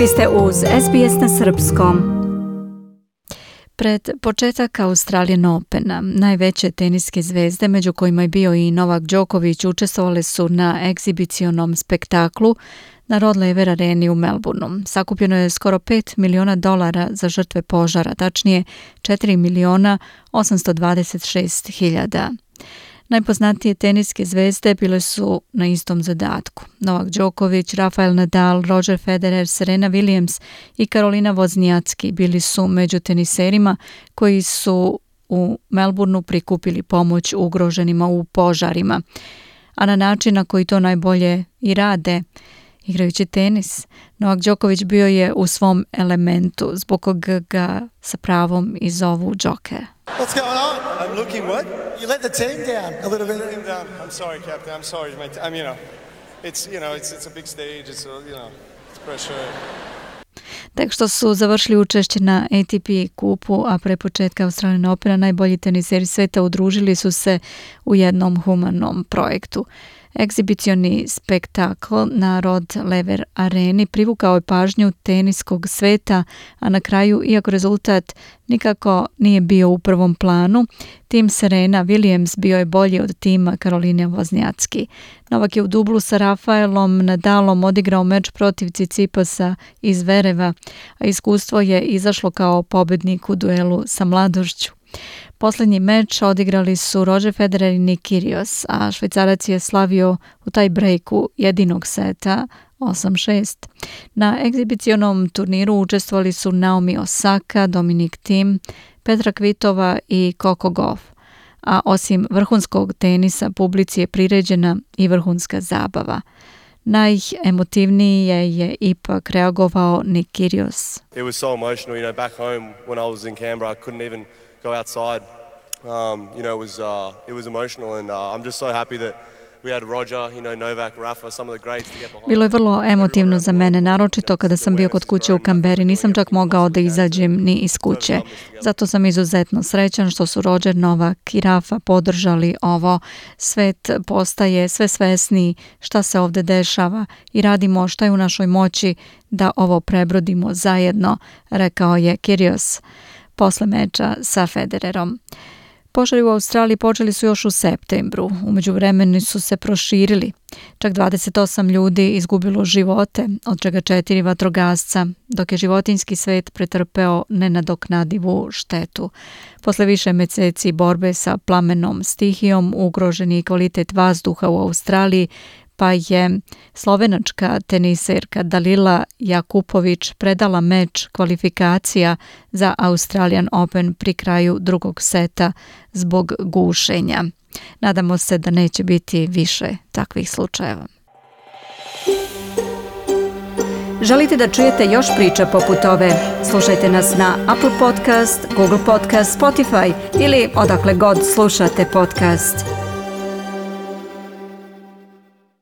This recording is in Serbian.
Vi ste uz SBS na srpskom. Pred početak Australian Opena, najveće teniske zvezde, među kojima je bio i Novak Đoković, učestvovale su na egzibicionom spektaklu na Rod Laver areni u Melbourneu. Sakupljeno je skoro $5 miliona za žrtve požara, tačnije 4.826.000. Najpoznatije teniske zvezde bile su na istom zadatku. Novak Đoković, Rafael Nadal, Roger Federer, Serena Williams i Karolina Wozniacki bili su među teniserima koji su u Melbourneu prikupili pomoć ugroženima u požarima. A na način na koji to najbolje i rade, igrajući tenis, Novak Đoković bio je u svom elementu, zbog koga ga sa pravom i zovu Joker. What's going on? I'm looking what? You let the team down a little bit. Team down. I'm sorry, Captain. I'm sorry, mate. It's a big stage. It's pressure. Tek što su završili učešće na ATP kupu, a pre početka Australian Opena, najbolji teniseri sveta udružili su se u jednom humanom projektu. Egzibicioni spektakl na Rod Laver areni privukao je pažnju teniskog sveta, a na kraju, iako rezultat nikako nije bio u prvom planu, tim Serena Williams bio je bolji od tima Karoline Wozniacki. Novak je u dublu sa Rafaelom Nadalom odigrao meč protiv Tsitsipasa iz Zvereva, a iskustvo je izašlo kao pobednik u duelu sa mladošću. Posljednji meč odigrali su Roger Federer i Nick Kyrgios, a Švajcarac je slavio u taj breaku jedinog seta 8-6. Na egzibicionom turniru učestvovali su Naomi Osaka, Dominic Thiem, Petra Kvitova i Coco Gauff. A osim vrhunskog tenisa, publici je priređena i vrhunska zabava. Najemotivnije je ipak reagovao Nick Kyrgios. It was so emotional, back home when I was in Canberra, I couldn't even go outside. It was emotional, and I'm just so happy that we had Roger, Novak, Rafa, some of the greats to get behind. Bilo je vrlo emotivno za mene, naročito kada sam bio kod kuće u Kamberi. Nisam čak mogao da izađem ni iz kuće. Zato sam izuzetno srećan što su Roger, Novak i Rafa podržali ovo. Svet postaje sve svesniji šta se ovde dešava i radimo šta je u našoj moći da ovo prebrodimo zajedno, rekao je Kyrgios posle meča sa Federerom. Požari u Australiji počeli su još u septembru. U međuvremenu su se proširili. Čak 28 ljudi izgubilo živote, od čega 4 vatrogasca, dok je životinjski svet pretrpeo nenadoknadivu štetu. Posle više meseci borbe sa plamenom stihijom ugrožen je kvalitet vazduha u Australiji, pa je slovenačka teniserka Dalila Jakupović predala meč kvalifikacija za Australian Open pri kraju drugog seta zbog gušenja. Nadamo se da neće biti više takvih slučajeva. Želite da čujete još priča poput ove? Slušajte nas na Apple Podcast, Google Podcast, Spotify ili odakle god slušate podcast.